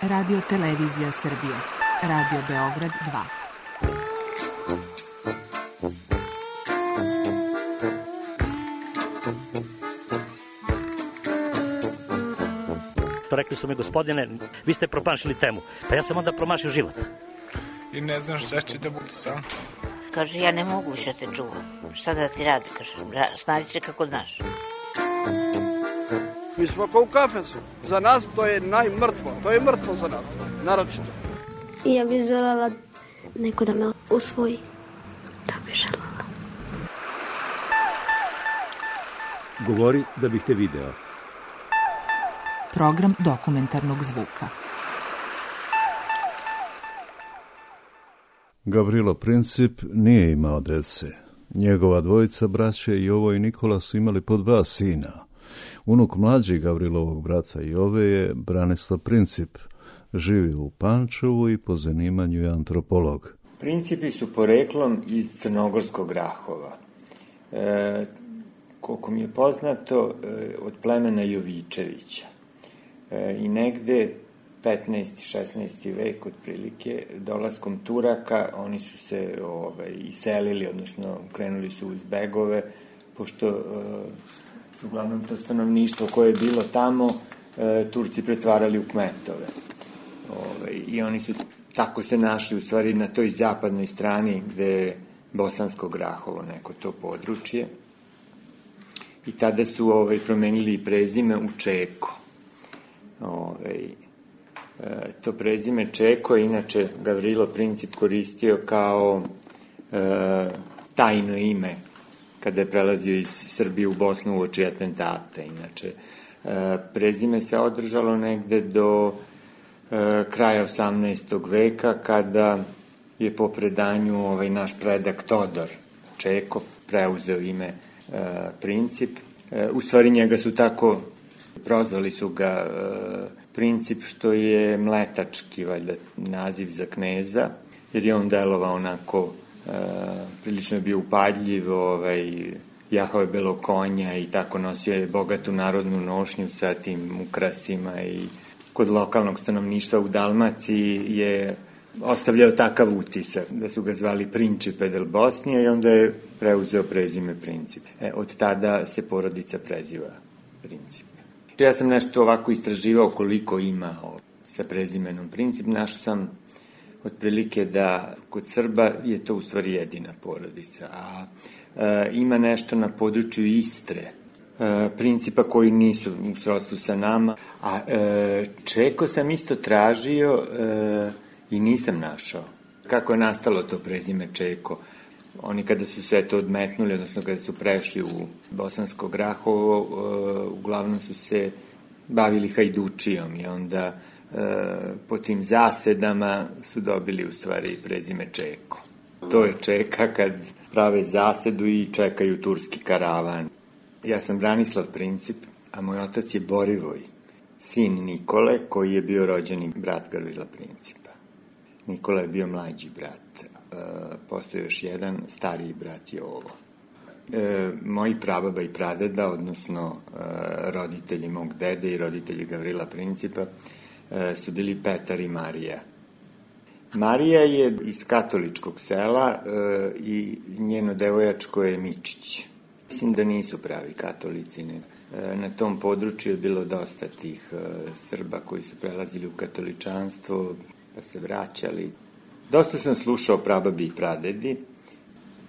Radio Televizija Srbije. Radio Beograd 2. Rekli su mi, gospodine, vi ste promašili temu. Pa ja sam onda promašio život. I ne znam šta će da bude sam. Kaže, ja ne mogu više te čuvam. Šta da ti radi, kaže, snađi se kako znaš. Mi smo kao u kafesu. Za nas to je najmrtvo. To je mrtvo za nas, naročito. I ja bih želela neko da me usvoji. To bih želela. Govori da bih te video. Program dokumentarnog zvuka. Gavrilo Princip nije imao dece. Njegova dvojica, braće Jovo i Nikola, su imali po 2 sina. Unuk mlađi Gavrilovog brata Jove je Branislav Princip. Živi u Pančevu i po zanimanju je antropolog. Principi su poreklom iz Crnogorskog Grahova. Koliko mi je poznato, od plemena Jovičevića. I negde 15. 16. vek otprilike, dolaskom Turaka, oni su se iselili, odnosno krenuli su uz begove, pošto uglavnom to stanovništvo koje je bilo tamo, Turci pretvarali u kmetove. I oni su tako se našli u stvari na toj zapadnoj strani gde je Bosansko Grahovo, neko to područje. I tada su promenili prezime u Čeko. To prezime Čeko je inače Gavrilo Princip koristio kao tajno ime kada je prelazio iz Srbije u Bosnu uoči atentata. Inače, prezime se održalo negde do kraja 18. veka kada je po predanju naš predak Todor Čeko preuzeo ime Princip. U stvari njega su tako prozvali su ga Princip, što je mletački valjda naziv za kneza, jer je on delovao onako, prilično je bio upadljiv, jahao je belog konja i tako nosio je bogatu narodnu nošnju sa tim ukrasima i kod lokalnog stanovništva u Dalmaciji je ostavljao takav utisak da su ga zvali Principe del Bosnija i onda je preuzeo prezime Princip. Od tada se porodica preziva Princip. Ja sam nešto ovako istraživao koliko ima sa prezimenom Princip. Našao sam otprilike da kod Srba je to u stvari jedina porodica, a ima nešto na području Istre, Principa koji nisu u srodstvu sa nama, a Čeko sam isto tražio i nisam našao. Kako je nastalo to prezime Čeko? Oni kada su se to odmetnuli, odnosno kada su prešli u Bosansko Grahovo, uglavnom su se bavili hajdučijom i onda po tim zasedama su dobili u stvari prezime Čeko. To je Čeka kad prave zasedu i čekaju turski karavan. Ja sam Branislav Princip, a moj otac je Borivoj, sin Nikole, koji je bio rođeni brat Gavrila Principa. Nikola je bio mlađi brat. Postoji još jedan stariji brat Jovo. Moji prababa i pradeda, odnosno roditelji mog dede i roditelji Gavrila Principa, su bili Petar i Marija. Marija je iz katoličkog sela i njeno devojačko je Mičić. Mislim da nisu pravi katolici. Na tom području je bilo dosta tih Srba koji su prelazili u katoličanstvo pa se vraćali. Dosta sam slušao prababi i pradedi.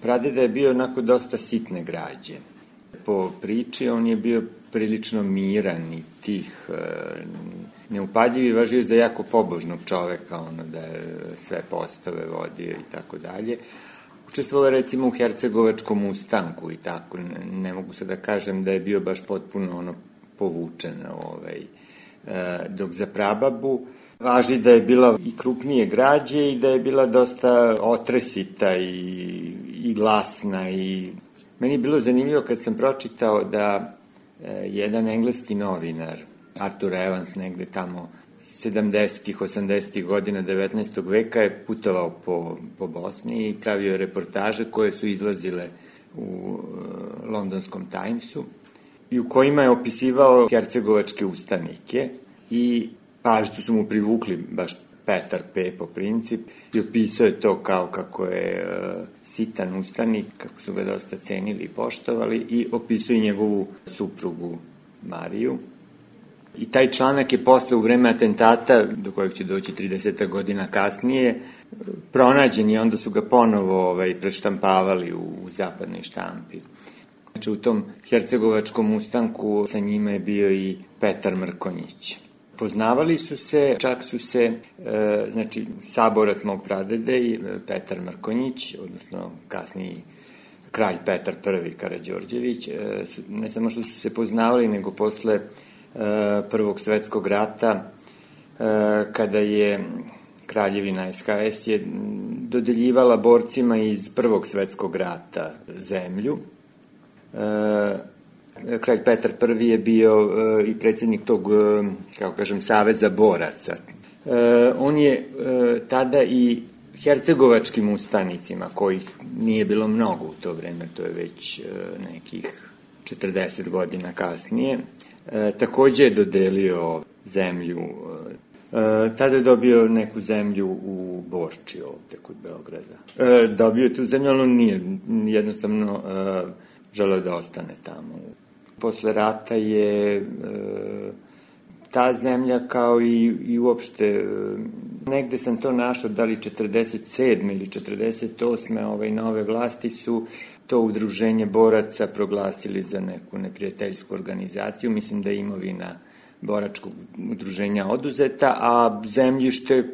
Pradeda je bio onako dosta sitne građe. Po priči on je bio prilično miran i tih, neupadljiv i važio za jako pobožnog čoveka, da je sve postave vodio i tako dalje. Učestvovao recimo u Hercegovačkom ustanku i tako, ne mogu se da kažem da je bio baš potpuno povučen. Dok za prababu važi da je bila i krupnije građe i da je bila dosta otresita i glasna. I meni je bilo zanimljivo kad sam pročitao da jedan engleski novinar, Arthur Evans, negde tamo 70-ih, 80-ih godina 19. veka je putovao po Bosni i pravio reportaže koje su izlazile u londonskom Timesu i u kojima je opisivao hercegovačke ustanike i pažnju su mu privukli baš Petar Pepo princip i opisao je to kao kako je sitan ustanik, kako su ga dosta cenili i poštovali, i opisao i njegovu suprugu Mariju. I taj članak je posle, u vreme atentata, do kojeg će doći 30 godina kasnije, pronađen i onda su ga ponovo preštampavali u zapadnoj štampi. Znači, u tom hercegovačkom ustanku sa njima je bio i Petar Mrkonjić. Poznavali su se, čak su se, znači, saborac mog pradede i Petar Mrkonjić, odnosno kasniji kralj Petar I Karađorđević, ne samo što su se poznavali, nego posle Prvog svetskog rata, kada je Kraljevina SHS je dodeljivala borcima iz Prvog svetskog rata zemlju. Kralj Petar I je bio i predsjednik tog, kako kažem, saveza boraca. On je tada i hercegovačkim ustanicima, kojih nije bilo mnogo u to vreme, to je već nekih 40 godina kasnije, takođe je dodelio zemlju. Tada je dobio neku zemlju u Borči ovde kod Beograda. Dobio je tu zemlju, ali on nije jednostavno želeo da ostane tamo. Posle rata je ta zemlja, kao i uopšte, negde sam to našao, da li 47. ili 48. Nove vlasti su to udruženje boraca proglasili za neku neprijateljsku organizaciju. Mislim da je imovina boračkog udruženja oduzeta, a zemljište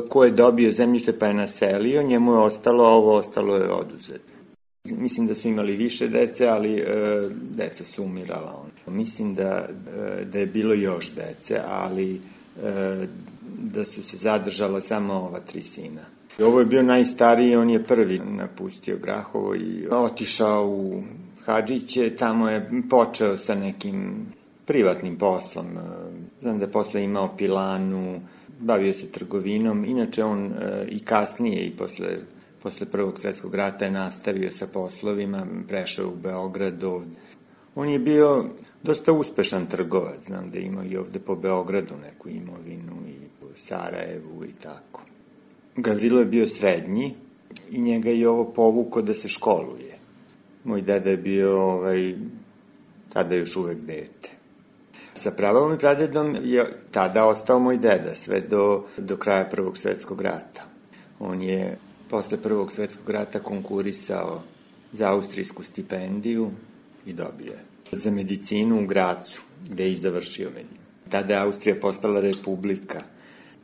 ko je dobio zemljište pa je naselio, njemu je ostalo, a ovo ostalo je oduzeto. Mislim da su imali više dece, ali deca su umirala. Mislim da je bilo još dece, ali da su se zadržala samo ova 3 sina. Ovo je bio najstariji, on je prvi napustio Grahovo i otišao u Hadžiće, tamo je počeo sa nekim privatnim poslom. Znam da je posle imao pilanu, bavio se trgovinom, inače on i kasnije i posle Prvog svetskog rata je nastavio sa poslovima, prešao u Beograd ovde. On je bio dosta uspešan trgovac, znam da je imao i ovde po Beogradu neku imovinu i u Sarajevu i tako. Gavrilo je bio srednji i njega je ovo povuko da se školuje. Moj deda je bio, tada još uvek dete. Sa pravom i pradedom je tada ostao moj deda, sve do kraja Prvog svetskog rata. On je posle Prvog svetskog rata konkurisao za austrijsku stipendiju i dobio je. Za medicinu u Gracu, gde je i završio medicinu. Tada je Austrija postala republika.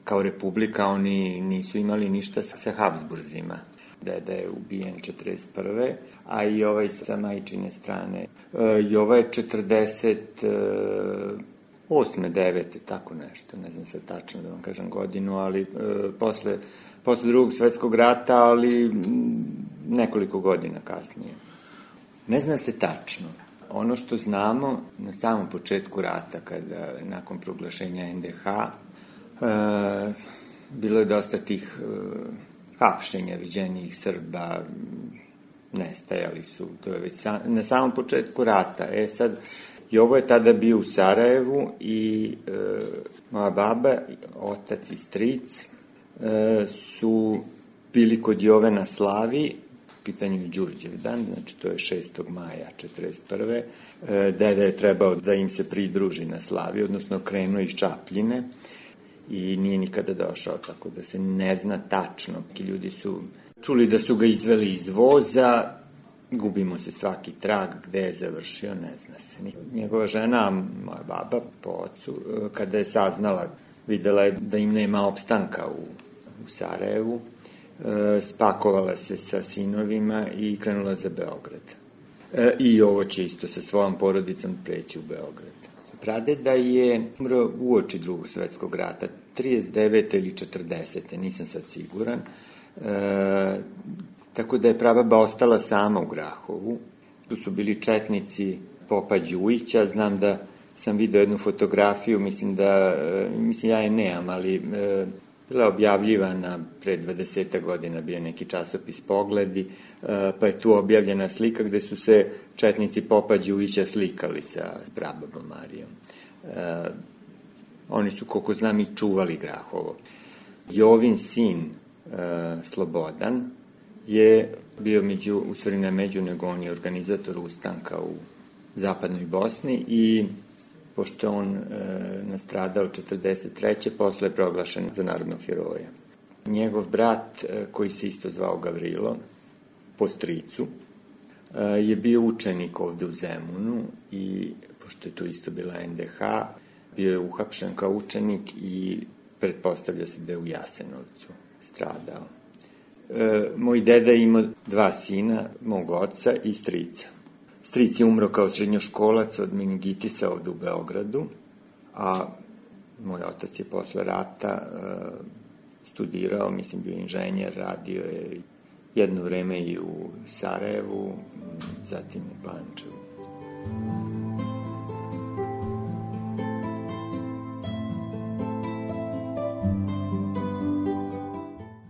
Kao republika oni nisu imali ništa sa Habsburzima. Deda je ubijen 41. A i sa majčine strane. I je 48. 9. tako nešto. Ne znam sad tačno da vam kažem godinu, ali posle Drugog svetskog rata, ali nekoliko godina kasnije. Ne zna se tačno. Ono što znamo, na samom početku rata, kada nakon proglašenja NDH, bilo je dosta tih hapšenja viđenijih Srba, nestajali su, to je već na samom početku rata. Sad, Jovo je tada bio u Sarajevu i moja baba, otac i stric su bili kod Jove na slavi, pitanju je Đurđevdan, znači to je 6. maja 41. Deda je trebao da im se pridruži na slavi, odnosno krenuo iz Čapljine i nije nikada došao, tako da se ne zna tačno. Neki ljudi su čuli da su ga izveli iz voza, gubimo se svaki trag, gde je završio, ne zna se. Njegova žena, moja baba po ocu, kada je saznala, videla je da im nema opstanka u Sarajevu, spakovala se sa sinovima i krenula za Beograd. I ovo će isto sa svojom porodicom preći u Beograd. Pradeda je umro uoči Drugog svetskog rata, 39. ili 40. nisam sad siguran. Tako da je prababa ostala sama u Grahovu. Tu su bili četnici popa Đujića, znam da sam video jednu fotografiju, mislim ja je nemam, ali bila je objavljivana pre 20 godina, bio neki časopis Pogledi, pa je tu objavljena slika gde su se četnici popa Đujića slikali sa prababom Marijom. Oni su, koliko znam, i čuvali Grahovo. Jovin sin, Slobodan, je bio u stvari ne među, nego on je organizator ustanka u zapadnoj Bosni i pošto on nastradao 43. posle je proglašen za narodnog heroja. Njegov brat, koji se isto zvao Gavrilo, po stricu, je bio učenik ovde u Zemunu i, pošto je to isto bila NDH, bio je uhapšen kao učenik i pretpostavlja se da je u Jasenovcu stradao. Moj deda je imao 2 sina, mog oca i strica. Stric je umro kao srednjoškolac od meningitisa ovde u Beogradu, a moj otac je posle rata studirao, mislim bio inženjer, radio je jedno vreme i u Sarajevu, zatim u Pančevu.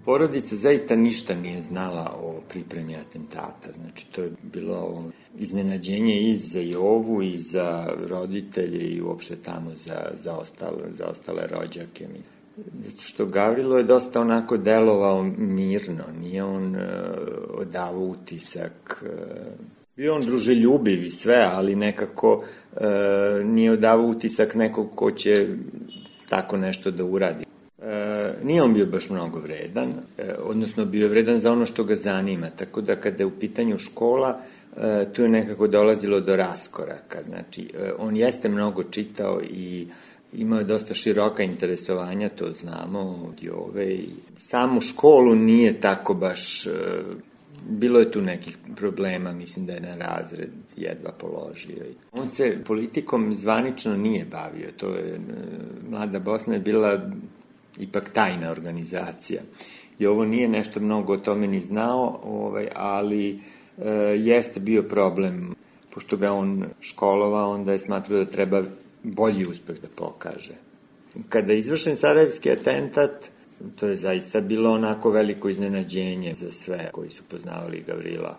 Porodica zaista ništa nije znala o pripremi atentata, znači to je bilo iznenađenje i za Jovu i za roditelje i uopšte tamo za ostale rođake. Zato što Gavrilo je dosta onako delovao mirno, nije on odavao utisak, bio on druželjubiv i sve, ali nekako nije odavao utisak nekog ko će tako nešto da uradi. Nije on bio baš mnogo vredan, odnosno bio je vredan za ono što ga zanima, tako da kada je u pitanju škola, tu je nekako dolazilo do raskoraka. Znači, on jeste mnogo čitao i imao je dosta široka interesovanja, to znamo od Jove. Samu školu nije tako baš, bilo je tu nekih problema, mislim da je na razred jedva položio. On se politikom zvanično nije bavio, to je, Mlada Bosna je bila ipak tajna organizacija. I ovo nije nešto mnogo o tome ni znao, ali jeste bio problem. Pošto ga on školovao, onda je smatrao da treba bolji uspeh da pokaže. Kada je izvršen sarajevski atentat, to je zaista bilo onako veliko iznenađenje za sve koji su poznavali Gavrila.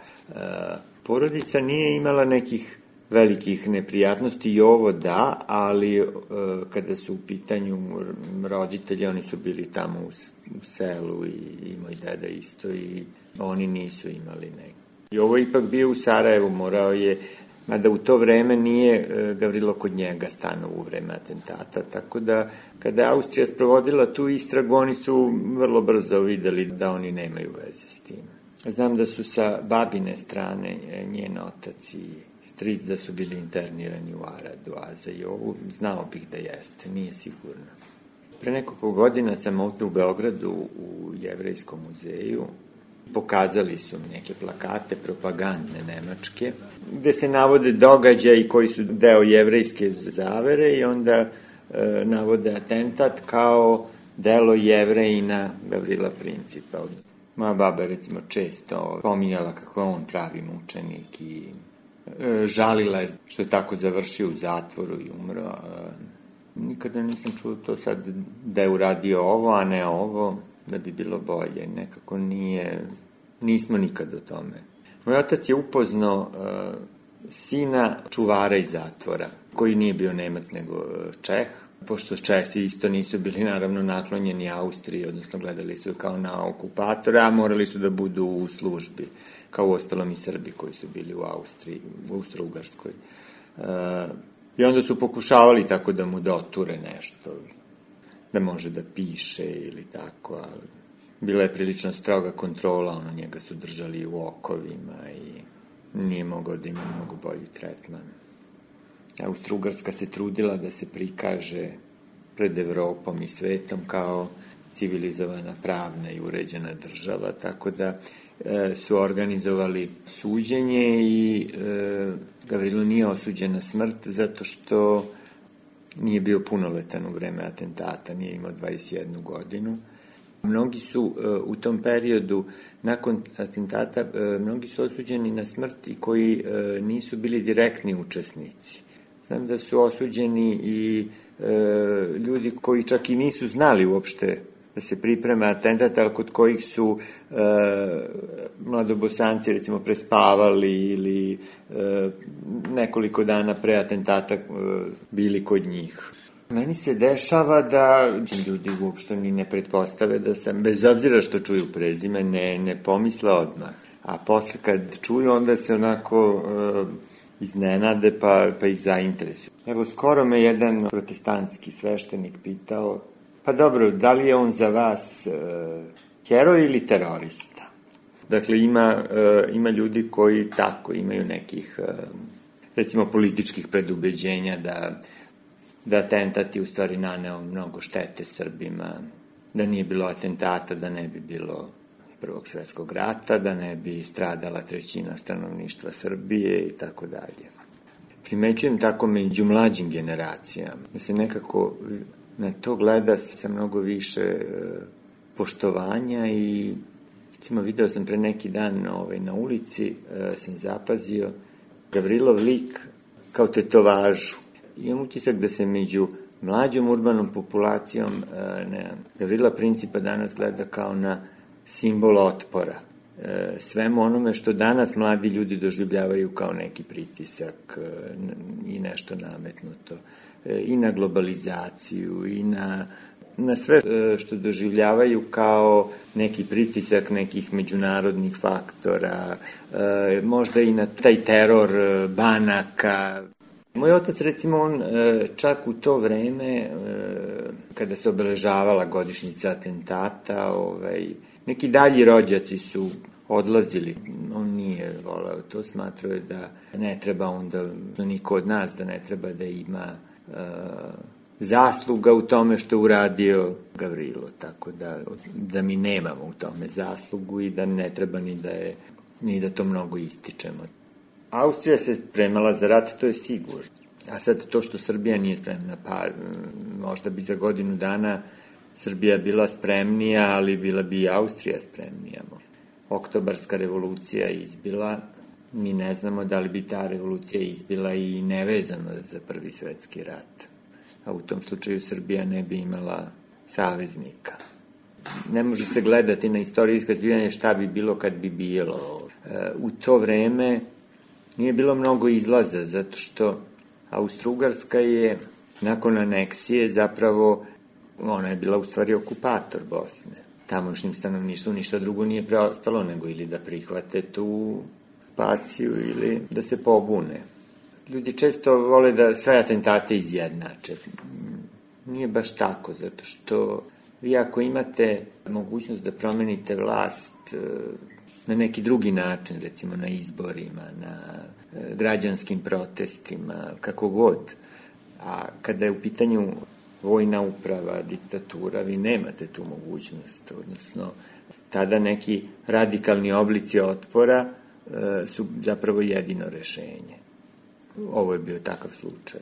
Porodica nije imala nekih velikih neprijatnosti i ovo da, ali kada su u pitanju roditelji, oni su bili tamo u selu i moj deda isto i oni nisu imali neki. I ovo ipak bio u Sarajevu, morao je, mada u to vreme nije Gavrilo kod njega stanuo u vreme atentata, tako da kada je Austrija sprovodila tu istragu, oni su vrlo brzo videli da oni nemaju veze s tim. Znam da su sa babine strane njen otac i stric da su bili internirani u Aradu, a za Jovu znao bih da jeste, nije sigurno. Pre nekoliko godina sam ovde u Beogradu u Jevrejskom muzeju. Pokazali su mi neke plakate propagandne nemačke, gde se navode događaji koji su deo jevrejske zavere i onda navode atentat kao delo Jevrejina Gavrila Principa. Moja baba recimo često pominjala kako on pravi mučenik i žalila je što je tako završio u zatvoru i umro. Nikada nisam čuo to sad da je uradio ovo, a ne ovo, da bi bilo bolje. Nekako nismo nikad o tome. Moj otac je upoznao sina čuvara iz zatvora, koji nije bio Nemac nego Čeh, pošto Česi isto nisu bili naravno naklonjeni Austriji, odnosno gledali su kao na okupatora, a morali su da budu u službi, kao u ostalom i Srbi koji su bili u Austriji, u Austro-Ugarskoj. I onda su pokušavali tako da mu doture nešto, da može da piše ili tako, ali bila je prilično stroga kontrola, njega su držali u okovima i nije mogao da ima mnogo bolji tretman. Austro-Ugarska se trudila da se prikaže pred Evropom i svetom kao civilizovana, pravna i uređena država, tako da su organizovali suđenje i Gavrilo nije osuđen na smrt zato što nije bio punoletan u vreme atentata, nije imao 21 godinu. Mnogi su u tom periodu, nakon atentata, mnogi su osuđeni na smrt i koji nisu bili direktni učesnici. Znam da su osuđeni i ljudi koji čak i nisu znali uopšte da se priprema atentat, ali kod kojih su mladobosanci recimo prespavali ili nekoliko dana pre atentata bili kod njih. Meni se dešava da ljudi uopšte ni ne pretpostave da sam, bez obzira što čuju prezime, ne pomisle odmah. A posle kad čuju, onda se onako iznenade pa ih zainteresuju. Evo, skoro me jedan protestantski sveštenik pitao, pa dobro, da li je on za vas heroj ili terorista? Dakle, ima ljudi koji tako imaju nekih, recimo, političkih predubeđenja da atentat je u stvari naneo mnogo štete Srbima, da nije bilo atentata, da ne bi bilo Prvog svetskog rata, da ne bi stradala 1/3 stanovništva Srbije i tako dalje. Primećujem tako među mlađim generacijama, da se nekako na to gleda sa mnogo više poštovanja i recimo video sam pre neki dan na ulici, sam zapazio Gavrilov lik kao tetovažu. Imam utisak da se među mlađom urbanom populacijom Gavrila Principa danas gleda kao na simbol otpora. Svemu onome što danas mladi ljudi doživljavaju kao neki pritisak i nešto nametnuto. I na globalizaciju, i na sve što doživljavaju kao neki pritisak nekih međunarodnih faktora, možda i na taj teror banaka. Moj otac, recimo, on čak u to vreme, kada se obeležavala godišnjica atentata, neki dalji rođaci su odlazili. On nije voleo to, smatrao je da ne treba onda, niko od nas da ne treba da ima zasluga u tome što uradio Gavrilo, tako da mi nemamo u tome zaslugu i da ne treba ni da to mnogo ističemo. Austrija se spremala za rat, to je sigurno. A sad to što Srbija nije spremna, pa možda bi za godinu dana Srbija bila spremnija, ali bila bi i Austrija spremnija. Oktobarska revolucija izbila, mi ne znamo da li bi ta revolucija izbila i nevezano za Prvi svetski rat. A u tom slučaju Srbija ne bi imala saveznika. Ne može se gledati na istorijsko zbivanje šta bi bilo kad bi bilo. U to vreme nije bilo mnogo izlaza, zato što Austro-Ugarska je nakon aneksije zapravo, ona je bila u stvari okupator Bosne. Tamošnjim stanovništvu ništa drugo nije preostalo nego ili da prihvate tu okupaciju ili da se pobune. Ljudi često vole da sve atentate izjednače. Nije baš tako, zato što vi ako imate mogućnost da promenite vlast na neki drugi način, recimo na izborima, na građanskim protestima, kako god, a kada je u pitanju vojna uprava, diktatura, vi nemate tu mogućnost, odnosno tada neki radikalni oblici otpora su zapravo jedino rešenje. Ovo je bio takav slučaj.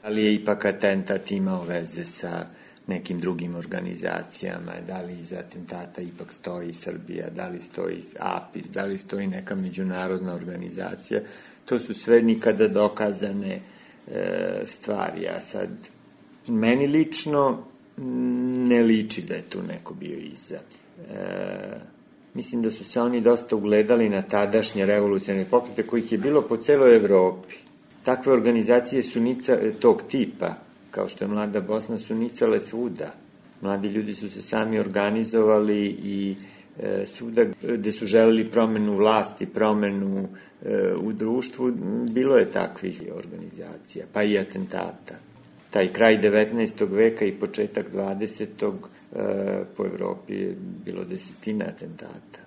Ali je ipak atentat imao veze sa nekim drugim organizacijama, da li iz atentata ipak stoji Srbija, da li stoji APIS, da li stoji neka međunarodna organizacija. To su sve nikada dokazane stvari. A sad, meni lično ne liči da je tu neko bio iza. Mislim da su se oni dosta ugledali na tadašnje revolucionarne pokrete kojih je bilo po celoj Evropi. Takve organizacije su tog tipa, kao što je Mlada Bosna, su nicale svuda. Mladi ljudi su se sami organizovali i svuda gde su želeli promenu vlasti, promenu u društvu, bilo je takvih organizacija, pa i atentata. Taj kraj 19. veka i početak 20. Po Evropi je bilo desetina atentata.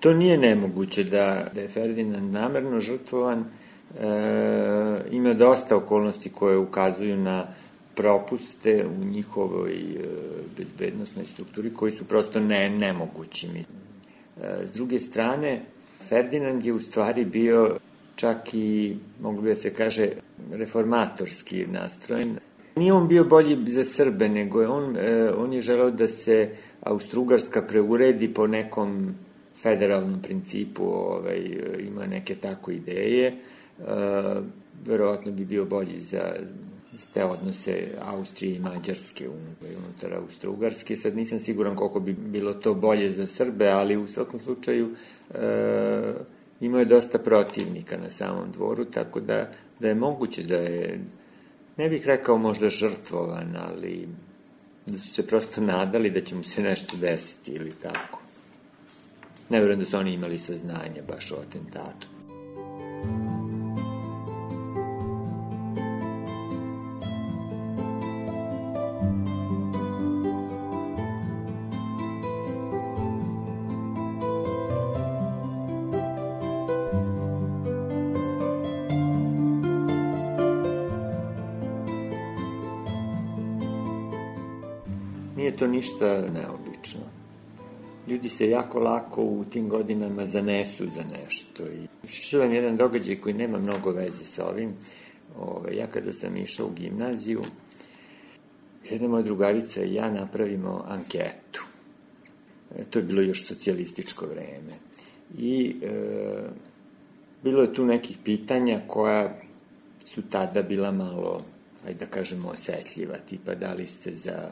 To nije nemoguće da je Ferdinand namerno žrtvovan. Ima dosta okolnosti koje ukazuju na propuste u njihovoj bezbednostnoj strukturi koji su prosto nemogući. S druge strane, Ferdinand je u stvari bio čak i, moglo bi da se kaže, reformatorski nastrojen. Nije on bio bolji za Srbe, nego je on je želeo da se Austro-Ugarska preuredi po nekom federalnom principu, ima neke tako ideje. Verovatno bi bio bolji za te odnose Austrije i Mađarske unutar Austro-Ugarske. Sad nisam siguran koliko bi bilo to bolje za Srbe, ali u svakom slučaju imao je dosta protivnika na samom dvoru, tako da je moguće da je ne bih rekao možda žrtvovan, ali da su se prosto nadali da će mu se nešto desiti ili tako. Ne vjerujem da su oni imali saznanje baš o atentatu. Nije to ništa neobično. Ljudi se jako lako u tim godinama zanesu za nešto. I čuvam jedan događaj koji nema mnogo veze sa ovim. Ja kada sam išao u gimnaziju, jedna moja drugarica i ja napravimo anketu. To je bilo još socijalističko vreme. I bilo je tu nekih pitanja koja su tada bila malo, ajde da kažemo, osetljiva. Tipa, da li ste za...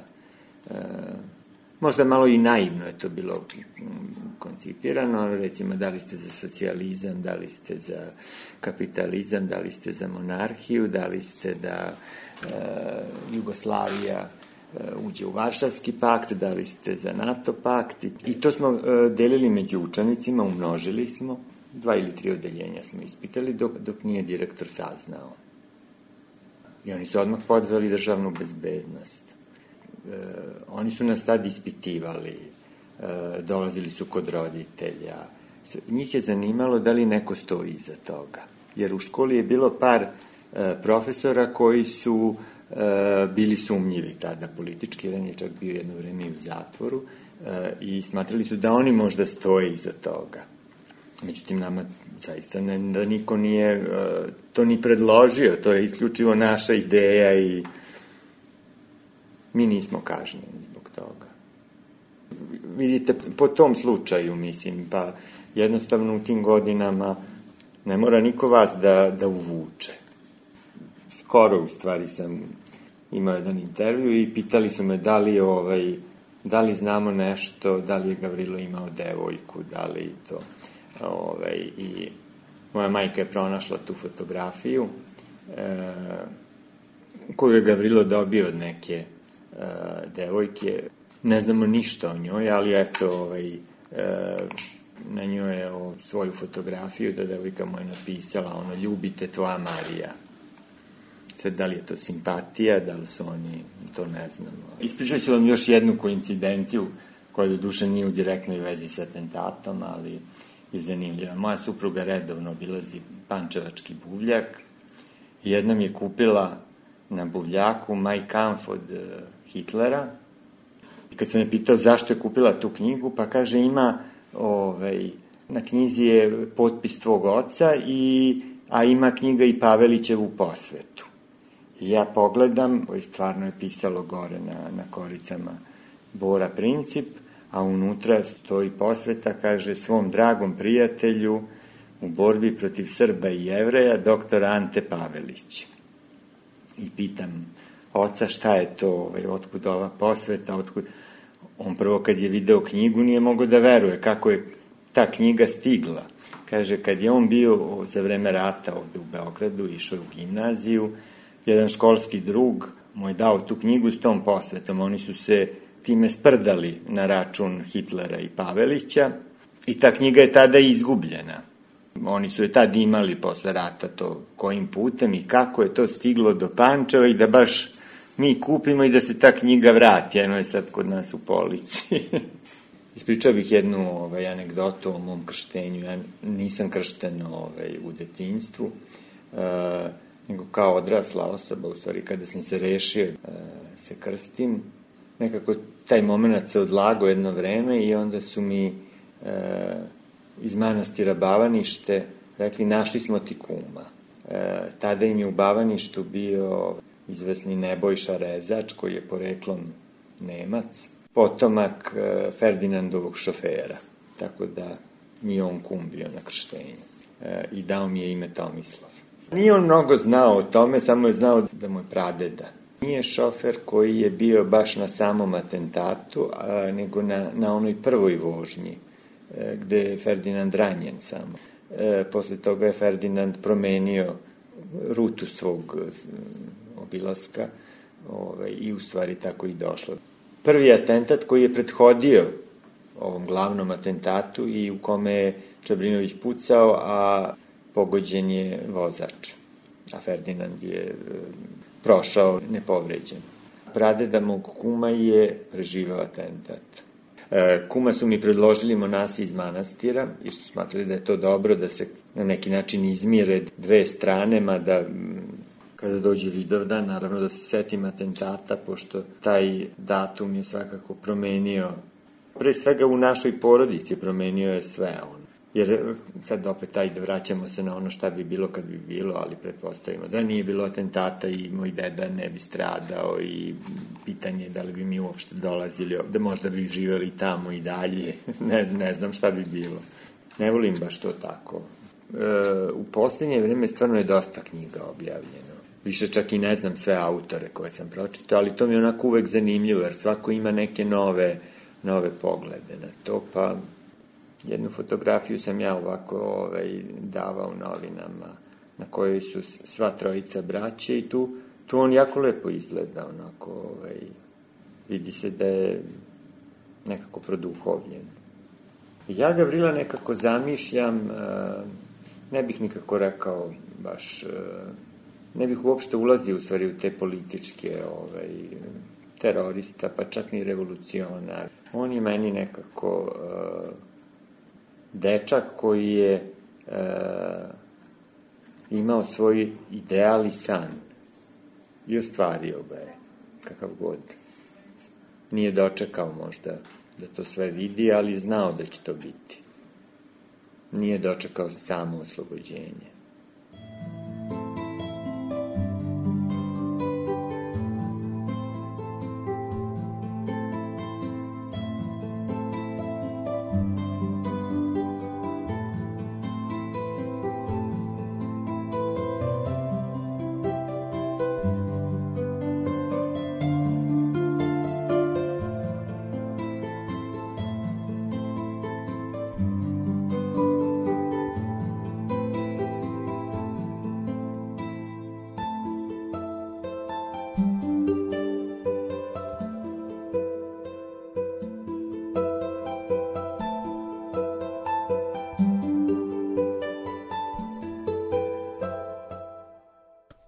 možda malo i naivno je to bilo koncipirano, recimo da li ste za socijalizam, da li ste za kapitalizam, da li ste za monarhiju, da li ste da Jugoslavija uđe u Varšavski pakt, da li ste za NATO pakt, i to smo delili među učenicima, umnožili smo, 2 ili 3 odeljenja smo ispitali dok nije direktor saznao. I oni su odmah podveli državnu bezbednost. Oni su nas tad ispitivali, dolazili su kod roditelja. Njih je zanimalo da li neko stoji iza toga. Jer u školi je bilo par profesora koji su bili sumnjivi tada politički. Jedan je čak bio jedno vreme i u zatvoru i smatrali su da oni možda stoje iza toga. Međutim, nama zaista da niko nije to ni predložio. To je isključivo naša ideja i mi nismo kažnjeni zbog toga. Vidite, po tom slučaju, mislim, pa jednostavno u tim godinama ne mora niko vas da uvuče. Skoro, u stvari, sam imao jedan intervju i pitali su me da li znamo nešto, da li je Gavrilo imao devojku, da li to. I moja majka je pronašla tu fotografiju koju je Gavrilo dobio od neke devojke. Ne znamo ništa o njoj, ali eto, na njoj je svoju fotografiju da devojka mu je napisala, ljubite tvoja Marija. Sad, da li je to simpatija, da li su oni, to ne znamo. Ispričat ću vam još jednu koincidenciju, koja do duše nije u direktnoj vezi sa atentatom, ali je zanimljiva. Moja supruga redovno obilazi pančevački buvljak i jednom je kupila na buvljaku Mein Kampf od Hitlera. I kad sam je pitao zašto je kupila tu knjigu, pa kaže ima, na knjizi je potpis tvog oca, a ima knjiga i Pavelićevu posvetu. I ja pogledam, stvarno je pisalo gore na koricama Bora Princip, a unutra stoji posveta, kaže, svom dragom prijatelju u borbi protiv Srba i Jevreja, doktor Ante Pavelić. I pitam oca šta je to, otkud ova posveta, otkud... On prvo kad je video knjigu nije mogao da veruje kako je ta knjiga stigla. Kaže, kad je on bio za vreme rata ovde u Beogradu, išao u gimnaziju, jedan školski drug mu je dao tu knjigu s tom posvetom. Oni su se time sprdali na račun Hitlera i Pavelića i ta knjiga je tada izgubljena. Oni su je tad imali posle rata to kojim putem i kako je to stiglo do Pančeva i da baš mi kupimo i da se ta knjiga vrati. Eno je sad kod nas u polici. Ispričao bih jednu anegdotu o mom krštenju. Ja nisam kršten u detinjstvu, nego kao odrasla osoba, u stvari kada sam se rešio se krstim, nekako taj moment se odlagao jedno vreme i onda su mi iz manastira Bavanište rekli, našli smo ti kuma. Tada im je u Bavaništu bio izvesni Nebojša Rezač, koji je poreklom Nemac, potomak Ferdinandovog šofera. Tako da nije on kum bio na krštenju. I dao mi je ime Tomislav. Nije on mnogo znao o tome, samo je znao da mu je pradeda. Nije šofer koji je bio baš na samom atentatu, nego na onoj prvoj vožnji, gde je Ferdinand ranjen samo. Posle toga je Ferdinand promenio rutu svog obilaska i u stvari tako i došlo. Prvi atentat koji je prethodio ovom glavnom atentatu i u kome je Čabrinović pucao, a pogođen je vozač, a Ferdinand je prošao nepovređen. Pradeda mog kuma je preživao atentat. Kuma su mi predložili monasi iz manastira i što smatrali da je to dobro, da se na neki način izmire dve strane, mada kada dođe Vidovdan, naravno da se setim atentata, pošto taj datum je svakako promenio, pre svega u našoj porodici promenio je sve on. Jer sad opet vraćamo se na ono šta bi bilo kad bi bilo, ali pretpostavimo da nije bilo atentata i moj deda ne bi stradao i pitanje je da li bi mi uopšte dolazili ovde, možda bi živeli tamo i dalje, ne znam šta bi bilo. Ne volim baš to tako. U poslednje vreme stvarno je dosta knjiga objavljeno. Više čak i ne znam sve autore koje sam pročitao, ali to mi je onako uvek zanimljivo, jer svako ima neke nove poglede na to, pa jednu fotografiju sam ja ovako davao novinama, na kojoj su sva trojica braće i tu on jako lepo izgleda, onako, vidi se da je nekako produhovljen. Ja Gavrila nekako zamišljam, ne bih nikako rekao baš, ne bih uopšte ulazio u stvari u te političke terorista, pa čak ni revolucionar. On je meni nekako dečak koji je imao svoj ideal i san i ostvario ga je, kakav god. Nije dočekao možda da to sve vidi, ali znao da će to biti. Nije dočekao samo oslobođenje.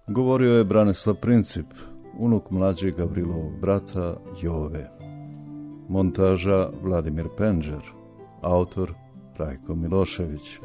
Govorio je Branislav Princip, unuk mlađeg Gavrilovog brata Jove. Montaža Vladimir Penđer, autor Rajko Milošević.